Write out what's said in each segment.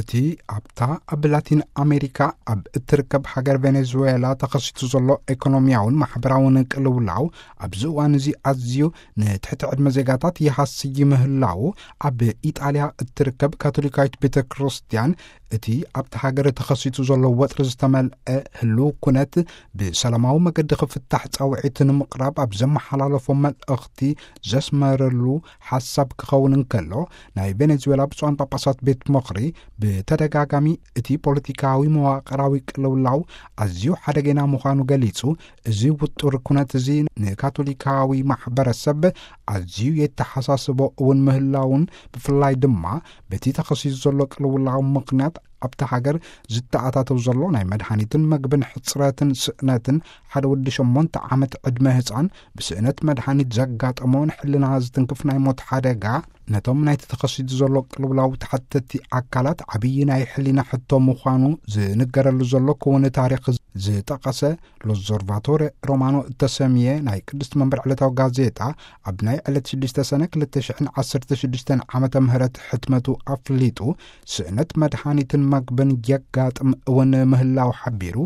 እቲ ኣብታ ኣብ ላቲን ኣሜሪካ ኣብ እትርከብ ሃገር ቬኔዙዌላ ተኸሲቱ ዘሎ ኤኮኖሚያውን ማሕበራውን ቅልውላው፣ ኣብዚ እዋን እዚ ኣዝዩ ንትሕቲ ዕድመ ዜጋታት ይሃስይ ምህላው፣ ኣብ ኢጣልያ እትርከብ ካቶሊካዊት ቤተ ክርስቲያን፣ እቲ ኣብቲ ሃገር ተኸሲቱ ዘሎ ወጥሪ ዝተመልአ ህልው ኩነት ብሰላማዊ መገዲ ክፍታሕ ጻውዒት ንምቕራብ ኣብ ዘመሓላለፎ መልእኽቲ ዘስመረሉ ሓሳብ ክኸውን እንከሎ፣ ናይ ቬኔዙዌላ ብፁዓን ጳጳሳት ቤት ምኽሪ ብተደጋጋሚ እቲ ፖለቲካዊ መዋቕራዊ ቅልውላው ኣዝዩ ሓደገና ምዃኑ ገሊጹ፣ እዚ ውጡር ኩነት እዚ ንካቶሊካዊ ማሕበረሰብ ኣዝዩ የተሓሳስቦ እውን ምህላውን፣ ብፍላይ ድማ በቲ ተኸሲሱ ዘሎ ቅልውላው ምኽንያት ኣብታ ሃገር ዝተኣታተው ዘሎ ናይ መድሃኒትን መግብን ሕጽረትን ስእነትን፣ ሓደ ወዲ ሸሞንተ ዓመት ዕድመ ህጻን ብስእነት መድሃኒት ዘጋጠሞ ንሕልና ዝትንክፍ ናይ ሞት ሓደጋ፣ ነቶም ናይቲ ተኸሲቱ ዘሎ ቅልውላው ተሓተቲ ኣካላት ዓብዪ ናይ ሕሊና ሕቶ ምዃኑ ዝንገረሉ ዘሎ ክውን ታሪኽ ዝጠቐሰ ሎዞርቫቶሬ ሮማኖ እተሰምየ ናይ ቅድስቲ መንበር ዕለታዊ ጋዜጣ፣ ኣብ ናይ ዕለት ሽዱሽተ ሰነ ክልተ ሽሕን ዓሰርተ ሽዱሽተን ዓመተ ምህረት ሕትመቱ ኣፍሊጡ፣ ስእነት መድሃኒትን መግብን የጋጥም እውን ምህላው ሓቢሩ፣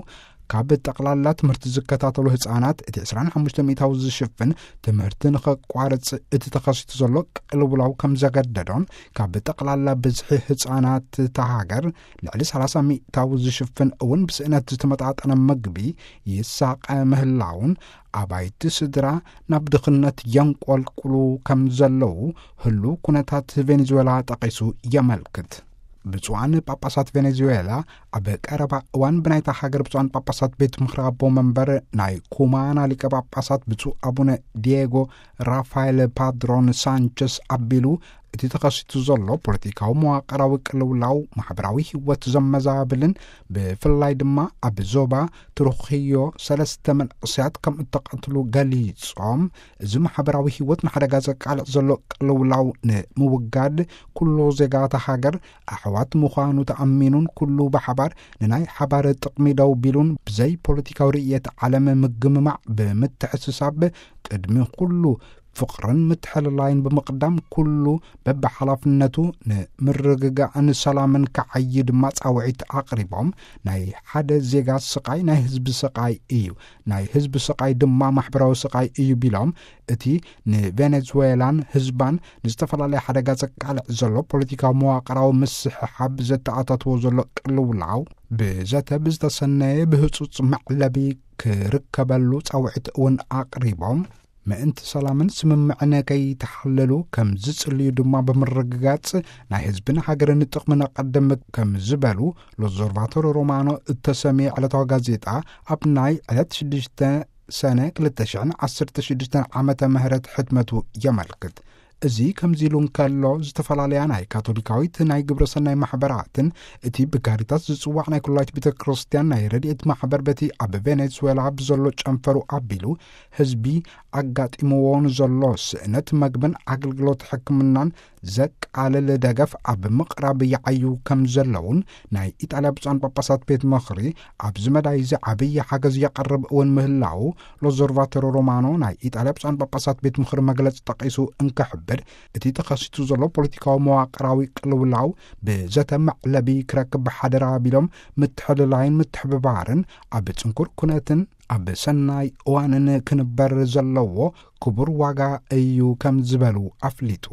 ካብ ጠቕላላ ትምህርቲ ዝከታተሉ ህጻናት እቲ ዕስራን ሓሙሽተ ሚእታዊ ዝሽፍን ትምህርቲ ንኸቋርጽ እቲ ተኸሲቱ ዘሎ ቅልውላው ከም ዘገደዶን፣ ካብ ጠቕላላ ብዝሒ ህጻናት እታ ሃገር ልዕሊ ሰላሳ ሚእታዊ ዝሽፍን እውን ብስእነት ዝተመጣጠነ ምግቢ ይሳቐ ምህላውን፣ ኣባይቲ ስድራ ናብ ድኽነት የንቆልቁሉ ከም ዘለዉ ህሉው ኩነታት ቬኔዙዌላ ጠቒሱ የመልክት። ብፁዓን ጳጳሳት ቬኔዙዌላ ኣብ ቀረባ እዋን ብናይታ ሃገር ብፁዓን ጳጳሳት ቤት ምኽሪ ኣቦ መንበር ናይ ኩማና ሊቀ ጳጳሳት ብፁዕ ኣቡነ ዲየጎ ራፋኤል ፓድሮን ሳንቸስ ኣቢሉ፣ እቲ ተኸሲቱ ዘሎ ፖለቲካዊ መዋቕራዊ ቅልውላው፣ ማሕበራዊ ህይወት ዘመዛብልን፣ ብፍላይ ድማ ኣብ ዞባ ትሩኽዮ ሰለስተ መንእሰያት ከም እተቐትሉ ገሊጾም፣ እዚ ማሕበራዊ ህይወት ንሓደጋ ዘቃልዕ ዘሎ ቅልውላው ንምውጋድ፣ ኩሉ ዜጋታት ሃገር ኣሕዋት ምዃኑ ተኣሚኑን፣ ኩሉ ብሓባር ንናይ ሓባር ጥቕሚ ደው ቢሉን፣ ብዘይ ፖለቲካዊ ርእየት ዓለም ምግምማዕ ብምትሕስሳብ፣ ቅድሚ ኩሉ ፍቕርን ምትሕልላይን ብምቕዳም፣ ኩሉ በብሓላፍነቱ ንምርግጋእን ሰላምን ክዓዪ ድማ ጻውዒት ኣቕሪቦም፣ ናይ ሓደ ዜጋ ስቓይ ናይ ህዝቢ ስቓይ እዩ፣ ናይ ህዝቢ ስቓይ ድማ ማሕበራዊ ስቓይ እዩ ቢሎም፣ እቲ ንቬኔዙዌላን ህዝባን ንዝተፈላለየ ሓደጋ ዘቃልዕ ዘሎ ፖለቲካዊ መዋቕራዊ ምስሕሓብ ዘተኣታትዎ ዘሎ ቅልውላው፣ ብዘተ ብዝተሰነየ ብህጹጽ መዕለቢ ክርከበሉ ጻውዒት እውን ኣቕሪቦም፣ ምእንቲ ሰላምን ስምምዕን ከይተሓለሉ ከም ዝጽልዩ ድማ ብምርግጋጽ፣ ናይ ህዝብን ሃገርን ጥቕሚ ነቐድም ከም ዝበሉ፣ ሎዞርቫቶር ሮማኖ እተሰምየ ዕለታዊ ጋዜጣ ኣብ ናይ ዕለት ሽዱሽተ ሰነ ክልተ ሽሕን ዓሰርተ ሽዱሽተን ዓመተ ምህረት ሕትመቱ የመልክት። እዚ ከምዚ ኢሉ እንከሎ፣ ዝተፈላለያ ናይ ካቶሊካዊት ናይ ግብረ ሰናይ ማሕበራትን፣ እቲ ብካሪታስ ዝጽዋዕ ናይ ኩላዊት ቤተ ክርስቲያን ናይ ረድኤት ማሕበር፣ በቲ ኣብ ቬኔዙዌላ ብዘሎ ጨንፈሩ ኣቢሉ፣ ህዝቢ ኣጋጢምዎ ንዘሎ ስእነት መግብን ኣገልግሎት ሕክምናን ዘቃልል ደገፍ ኣብ ምቕራብ ይዓዩ ከም ዘለውን፣ ናይ ኢጣልያ ብፁዓን ጳጳሳት ቤት ምኽሪ ኣብዚ መዳይ እዚ ዓብዪ ሓገዝ የቐርብ እውን ምህላው፣ ሎዞርቫቶሮ ሮማኖ ናይ ኢጣልያ ብፁዓን ጳጳሳት ቤት ምኽሪ መግለጺ ጠቒሱ እንክሕብር፣ እቲ ተኸሲቱ ዘሎ ፖለቲካዊ መዋቕራዊ ቅልውላው ብዘተ መዕለቢ ክረክብ ሓደራ ቢሎም፣ ምትሕልላይን ምትሕብባርን ኣብ ጽንኩር ኩነትን ኣብ ሰናይ እዋንን ክንበር ዘለዎ ክቡር ዋጋ እዩ ከም ዝበሉ ኣፍሊጡ።